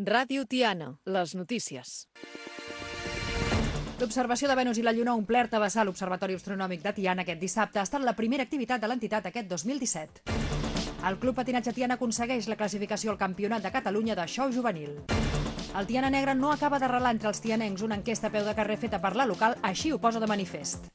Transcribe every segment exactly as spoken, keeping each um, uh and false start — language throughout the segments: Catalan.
Ràdio Tiana, les notícies. L'observació de Venus i la Lluna ha omplert a vessar l'Observatori Astronòmic de Tiana aquest dissabte. Ha estat la primera activitat de l'entitat aquest dos mil disset. El Club Patinatge Tiana aconsegueix la classificació al Campionat de Catalunya de xou juvenil. El Tiana Negre no acaba d'arrelar entre els tianencs. Una enquesta a peu de carrer feta per la local així ho posa de manifest.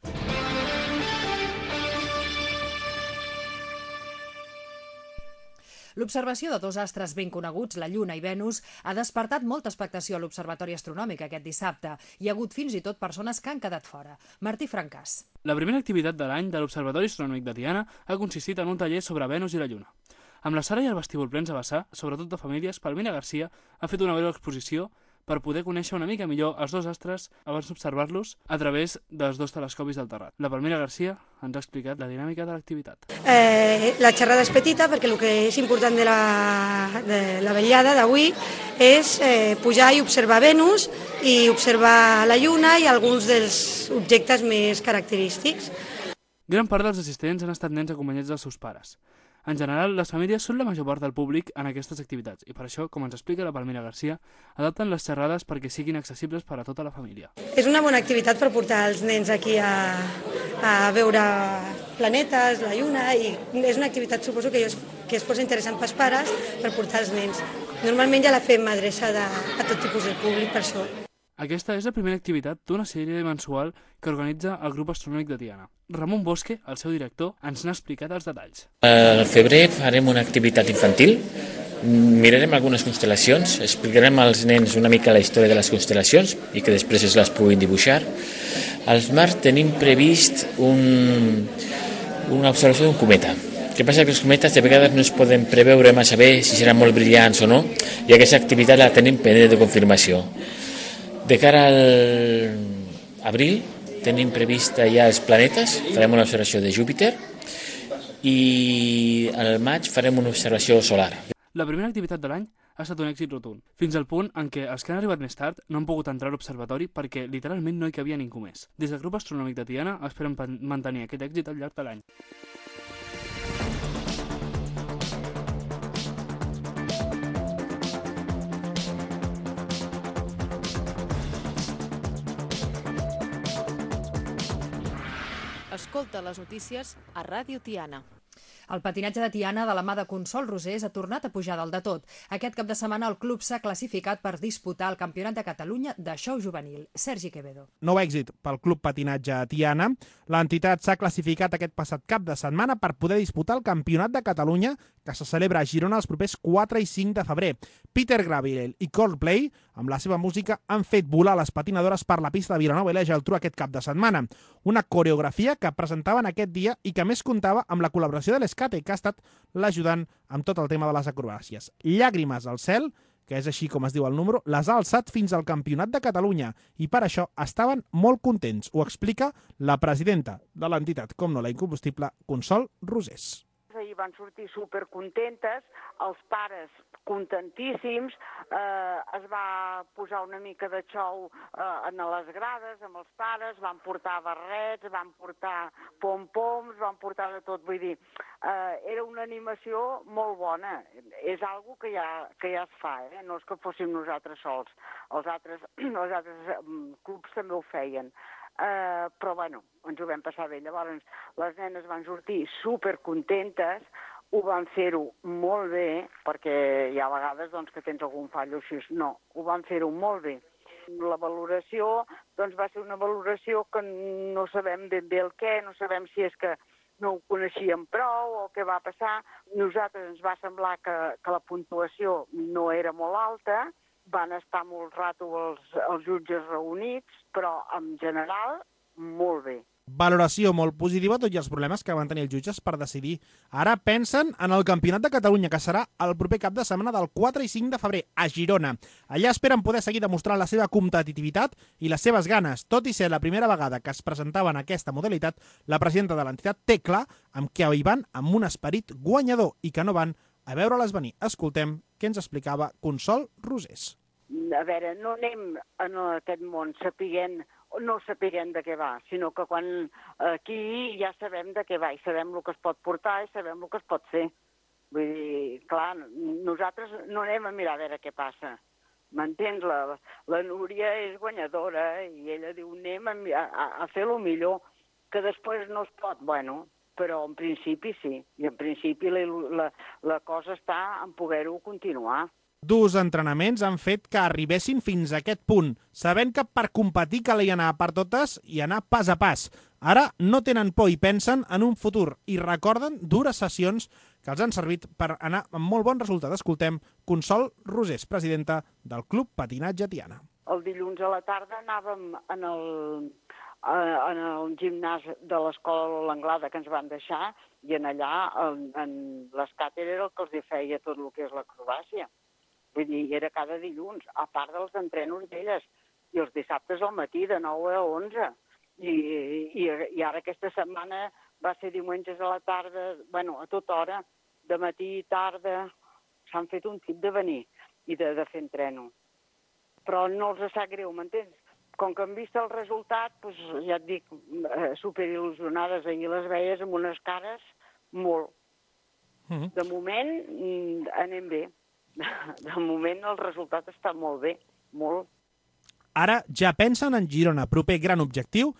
L'observació de dos astres ben coneguts, la Lluna i Venus, ha despertat molta expectació a l'Observatori Astronòmic aquest dissabte. Hi ha hagut fins i tot persones que han quedat fora. Martí Francàs. La primera activitat de l'any de l'Observatori Astronòmic de Tiana ha consistit en un taller sobre Venus i la Lluna. Amb la Sara i el vestíbul plens a vessar, sobretot de famílies, Palmira Garcia ha fet una breu exposició per poder conèixer una mica millor els dos astres abans d'observar-los a través dels dos telescopis del terrat. La Palmira Garcia ens ha explicat la dinàmica de l'activitat. Eh, la xerrada és petita perquè el que és important de la, de la vetllada d'avui és eh, pujar i observar Venus i observar la Lluna i alguns dels objectes més característics. Gran part dels assistents han estat nens acompanyats dels seus pares. En general, les famílies són la major part del públic en aquestes activitats i per això, com ens explica la Palmira Garcia, adapten les xerrades perquè siguin accessibles per a tota la família. És una bona activitat per portar els nens aquí a, a veure planetes, la Lluna, i és una activitat, suposo, que, es, que es posa interessant pels pares per portar els nens. Normalment ja la fem adreçada a tot tipus de públic, per això. Aquesta és la primera activitat d'una sèrie mensual que organitza el Grup Astronòmic de Tiana. Ramon Bosque, el seu director, ens n'ha explicat els detalls. Al febrer farem una activitat infantil, mirarem algunes constel·lacions, explicarem als nens una mica la història de les constel·lacions i que després es les puguin dibuixar. Al març tenim previst un, una observació d'un cometa. El que passa que els cometes de vegades no es poden preveure massa bé si seran molt brillants o no, i aquesta activitat la tenim pendent de confirmació. De cara al abril tenim prevista ja els planetes, farem una observació de Júpiter i al maig farem una observació solar. La primera activitat de l'any ha estat un èxit rotund, fins al punt en què els que han arribat més tard no han pogut entrar a l'observatori perquè literalment no hi cabia ningú més. Des del Grup Astronòmic de Tiana esperen mantenir aquest èxit al llarg de l'any. Escolta les notícies a Ràdio Tiana. El patinatge de Tiana, de la mà de Consol Rosés, ha tornat a pujar dalt de tot. Aquest cap de setmana el club s'ha classificat per disputar el Campionat de Catalunya de xou juvenil. Sergi Quevedo. Nou èxit pel Club Patinatge Tiana. L'entitat s'ha classificat aquest passat cap de setmana per poder disputar el Campionat de Catalunya que se celebra a Girona els propers quatre i cinc de febrer. Peter Gabriel i Coldplay, amb la seva música, han fet volar les patinadores per la pista de Vilanova i la Geltrú aquest cap de setmana. Una coreografia que presentaven aquest dia i que més comptava amb la col·laboració de l'Escate, que ha estat l'ajudant amb tot el tema de les acrobàcies. Llàgrimes al cel, que és així com es diu el número, les ha alçat fins al Campionat de Catalunya i per això estaven molt contents. Ho explica la presidenta de l'entitat, com no la incombustible, Consol Rosés. Ahir van sortir supercontentes, els pares contentíssims, eh, es va posar una mica de xou eh, en les grades amb els pares, van portar barrets, van portar pom-poms, van portar de tot, vull dir, eh, era una animació molt bona, és algo que ja, que ja es fa, eh? No és que fóssim nosaltres sols, els altres, els altres clubs també ho feien. Uh, però bueno, ens ho vam passar bé. Llavors les nenes van sortir supercontentes, ho van fer-ho molt bé, perquè hi ha vegades doncs, que tens algun fallo així. No, ho van fer-ho molt bé. La valoració doncs, va ser una valoració que no sabem ben bé el què, no sabem si és que no ho coneixíem prou o què va passar. Nosaltres ens va semblar que, que la puntuació no era molt alta, van estar molt rato els, els jutges reunits, però en general molt bé. Valoració molt positiva, tot i els problemes que van tenir els jutges per decidir. Ara pensen en el Campionat de Catalunya, que serà el proper cap de setmana del quatre i cinc de febrer, a Girona. Allà esperen poder seguir demostrant la seva competitivitat i les seves ganes. Tot i ser la primera vegada que es presentava en aquesta modalitat, la presidenta de l'entitat té clar amb què hi van amb un esperit guanyador i que no van a veure-les venir. Escoltem què ens explicava Consol Rosés. A veure, no anem en aquest món sapiguent, no sapiguent de què va, sinó que quan aquí ja sabem de què va i sabem el que es pot portar i sabem el que es pot fer. Vull dir, clar, nosaltres no anem a mirar a veure què passa. M'entens? La, la Núria és guanyadora i ella diu anem a, a, a fer el millor, que després no es pot, bueno, però en principi sí, i en principi la, la, la cosa està en poder-ho continuar. Durs entrenaments han fet que arribessin fins a aquest punt, sabent que per competir calia anar per totes i anar pas a pas. Ara no tenen por i pensen en un futur i recorden dures sessions que els han servit per anar amb molt bon resultat. Escoltem Consol Rosés, presidenta del Club Patinatge Tiana. El dilluns a la tarda anàvem en el, en el gimnàs de l'escola l'Anglada que ens van deixar i en allà, en, en l'escàter era el que els feia tot el que és l'acrobàcia. Vull dir, era cada dilluns, a part dels entrenos d'elles, i els dissabtes al matí de nou a onze. I, i, i ara aquesta setmana va ser diumenges a la tarda, bueno, a tota hora, de matí i tarda, s'han fet un tip de venir i de, de fer entreno. Però no els sap greu, m'entens? Com que han vist el resultat, doncs, ja et dic, superil·lusionades, ahir les veies amb unes cares molt. Mm-hmm. De moment anem bé. De moment el resultat està molt bé, molt. Ara ja pensen en Girona, proper gran objectiu.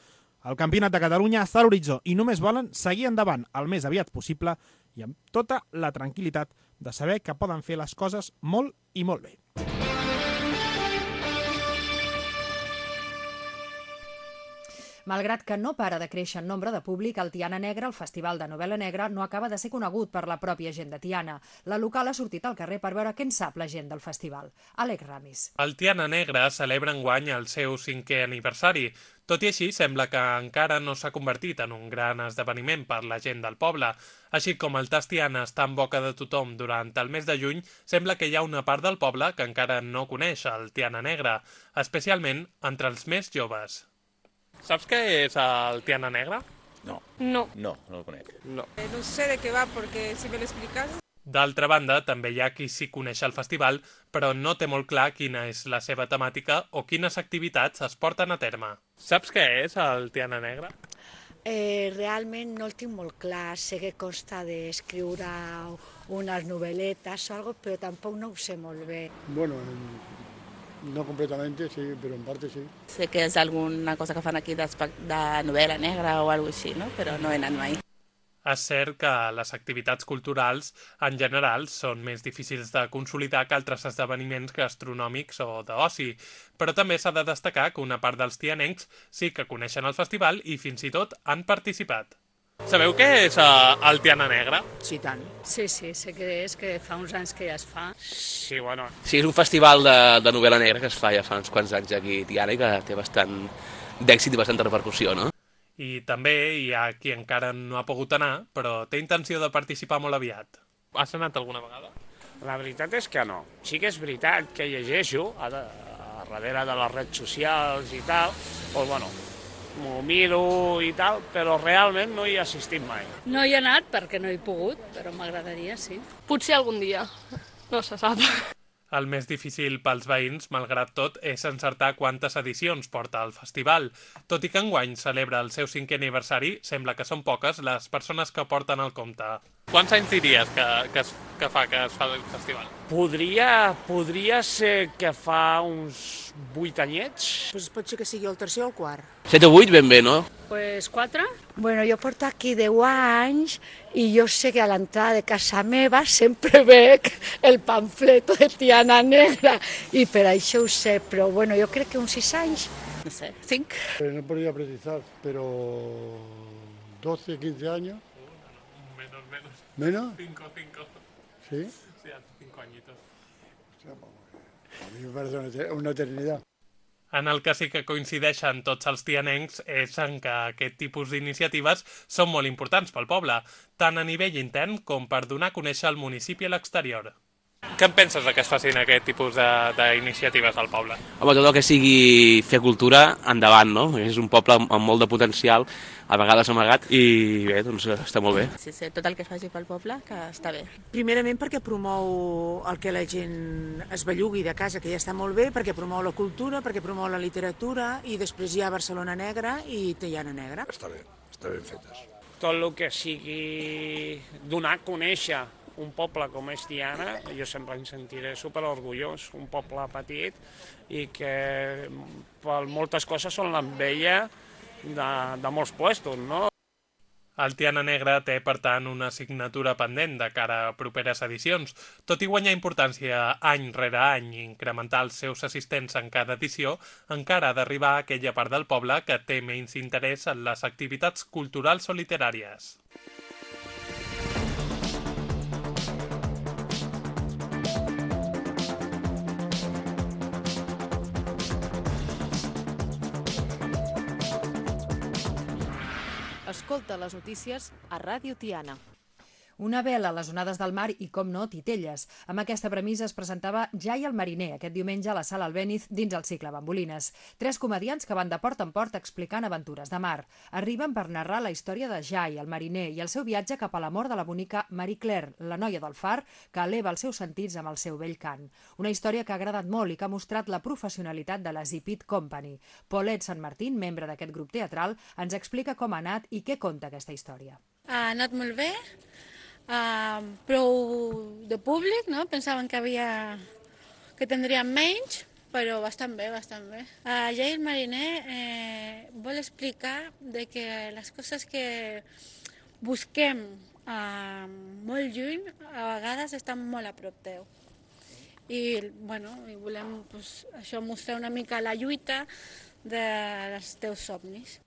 El Campionat de Catalunya està a l'horitzó i només volen seguir endavant el més aviat possible i amb tota la tranquil·litat de saber que poden fer les coses molt i molt bé. Malgrat que no para de créixer en nombre de públic, el Tiana Negra, el Festival de Novel·la Negra, no acaba de ser conegut per la pròpia gent de Tiana. La local ha sortit al carrer per veure què en sap la gent del festival. Àlex Ramis. El Tiana Negra celebra enguany el seu cinquè aniversari. Tot i així, sembla que encara no s'ha convertit en un gran esdeveniment per la gent del poble. Així com el tas Tiana està en boca de tothom durant el mes de juny, sembla que hi ha una part del poble que encara no coneix el Tiana Negra, especialment entre els més joves. Saps què és el Tiana Negra? No. No. No, no el conec. No. Eh, no sé de què va, perquè si me l'explicas... D'altra banda, també hi ha qui sí coneix el festival, però no té molt clar quina és la seva temàtica o quines activitats es porten a terme. Saps què és el Tiana Negra? Eh, realment no el tinc molt clar. Sé que consta d'escriure unes novel·letes o algo, però tampoc no ho sé molt bé. Bueno, no completamente, sí, pero en parte sí. Sé que és alguna cosa que fan aquí de, de novel·la negra o alguna cosa així, no? Però no he anat mai. És cert que les activitats culturals, en general, són més difícils de consolidar que altres esdeveniments gastronòmics o d'oci, però també s'ha de destacar que una part dels tianencs sí que coneixen el festival i fins i tot han participat. Sabeu què és uh, el Tiana Negra? Sí, tant. Sí, sí, sé què és, que fa uns anys que ja es fa. Sí, bueno. Sí, és un festival de, de novel·la negra que es fa ja fa uns quants anys aquí a Tiana i que té bastant d'èxit i bastanta repercussió, no? I també hi ha qui encara no ha pogut anar, però té intenció de participar molt aviat. Has anat alguna vegada? La veritat és que no. Sí que és veritat que llegeixo a, de, a darrere de les redes socials i tal, doncs bueno, m'ho miro i tal, però realment no hi he assistit mai. No hi he anat perquè no he pogut, però m'agradaria, sí. Potser algun dia, no se sap. El més difícil pels veïns, malgrat tot, és encertar quantes edicions porta el festival. Tot i que enguany celebra el seu cinquè aniversari, sembla que són poques les persones que porten el compte. Quants anys diries que, que, es, que fa que es fa el festival? Podria, podria ser que fa uns vuit anyets. Pues pot ser que sigui el tercer o el quart. set o vuit ben bé, no? Pues quatre. Bueno, jo porto aquí deu anys i jo sé que a l'entrada de casa meva sempre veig el pamfleto de Tiana Negra i per això ho sé, però bueno, jo crec que uns sis anys. No sé, cinc. No podria precisar, però doce, quince años. Menos, menos. ¿Menos? Cinco, cinco. ¿Sí? Sí, hace cinco añitos. A mi me parece una eternidad. En el que sí que coincideixen tots els tianencs és en que aquest tipus d'iniciatives són molt importants pel poble, tant a nivell intern com per donar a conèixer el municipi a l'exterior. Què en penses que es facin aquest tipus d'iniciatives al poble? Home, tot el que sigui fer cultura, endavant, no? És un poble amb molt de potencial, a vegades amagat, i bé, doncs està molt bé. Sí, sí, tot el que es faci pel poble, que està bé. Primerament perquè promou el que la gent es bellugui de casa, que ja està molt bé, perquè promou la cultura, perquè promou la literatura, i després hi ha Barcelona Negra i Tiana Negra. Està bé, està ben fetes. Tot el que sigui donar a conèixer un poble com és Tiana, jo sempre em sentiré superorgullós, un poble petit i que per moltes coses són l'enveja de, de molts puestos, no? El Tiana Negra té, per tant, una assignatura pendent de cara a properes edicions. Tot i guanyar importància any rere any i incrementar els seus assistents en cada edició, encara ha d'arribar a aquella part del poble que té menys interès en les activitats culturals o literàries. Escolta les notícies a Ràdio Tiana. Una vela a les onades del mar i, com no, titelles. Amb aquesta premissa es presentava Jai el mariner aquest diumenge a la Sala Albéniz dins el cicle Bambolines. Tres comediants que van de port en port explicant aventures de mar. Arriben per narrar la història de Jai, el mariner, i el seu viatge cap a l'amor de la bonica Marie Claire, la noia del far, que eleva els seus sentits amb el seu bell cant. Una història que ha agradat molt i que ha mostrat la professionalitat de la Zipit Company. Paulette Sant Martín, membre d'aquest grup teatral, ens explica com ha anat i què conta aquesta història. Ha anat molt bé. Uh, prou de públic, no? Pensaven que havia que tindríem menys, però bastant bé, bastant bé. Uh, Jai el mariner eh, vol explicar de que les coses que busquem uh, molt lluny a vegades estan molt a prop teu. I, bueno, i volem pues, això mostrar una mica la lluita dels teus somnis.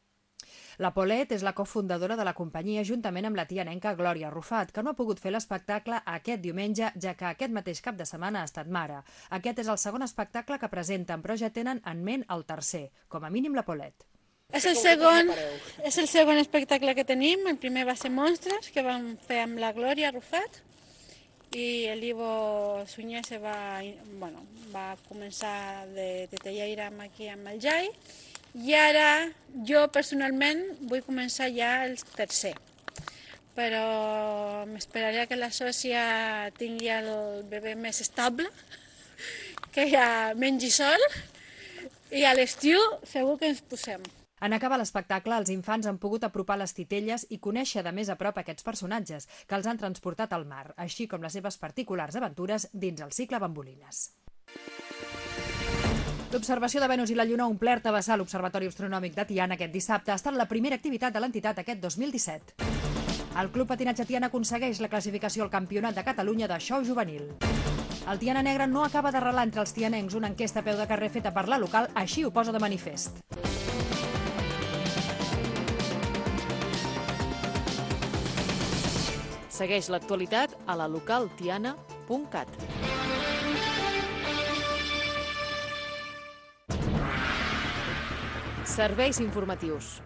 La Paulette és la cofundadora de la companyia juntament amb la tianenca Glòria Rufat, que no ha pogut fer l'espectacle aquest diumenge, ja que aquest mateix cap de setmana ha estat mare. Aquest és el segon espectacle que presenten, però ja tenen en ment el tercer, com a mínim la Paulette. És el segon, és el segon espectacle que tenim. El primer va ser Monstres, que vam fer amb la Glòria Rufat, i l'Ivo Sunyer se va, bueno, va començar de, de tallaire aquí amb el Jai. I ara jo personalment vull començar ja el tercer, però m'esperaré que la sòcia tingui el bebè més estable, que ja mengi sol, i a l'estiu segur que ens posem. En acabar l'espectacle, els infants han pogut apropar les titelles i conèixer de més a prop aquests personatges que els han transportat al mar, així com les seves particulars aventures dins el cicle Bambolines. L'observació de Venus i la Lluna ha omplert a vessar l'Observatori Astronòmic de Tiana aquest dissabte. Ha estat la primera activitat de l'entitat aquest dos mil disset. El Club Patinatge Tiana aconsegueix la classificació al Campionat de Catalunya de xou juvenil. El Tiana Negra no acaba d'arrelar entre els tianencs. Una enquesta a peu de carrer feta per la local així ho posa de manifest. Segueix l'actualitat a la local tiana punt cat. Serveis informatius.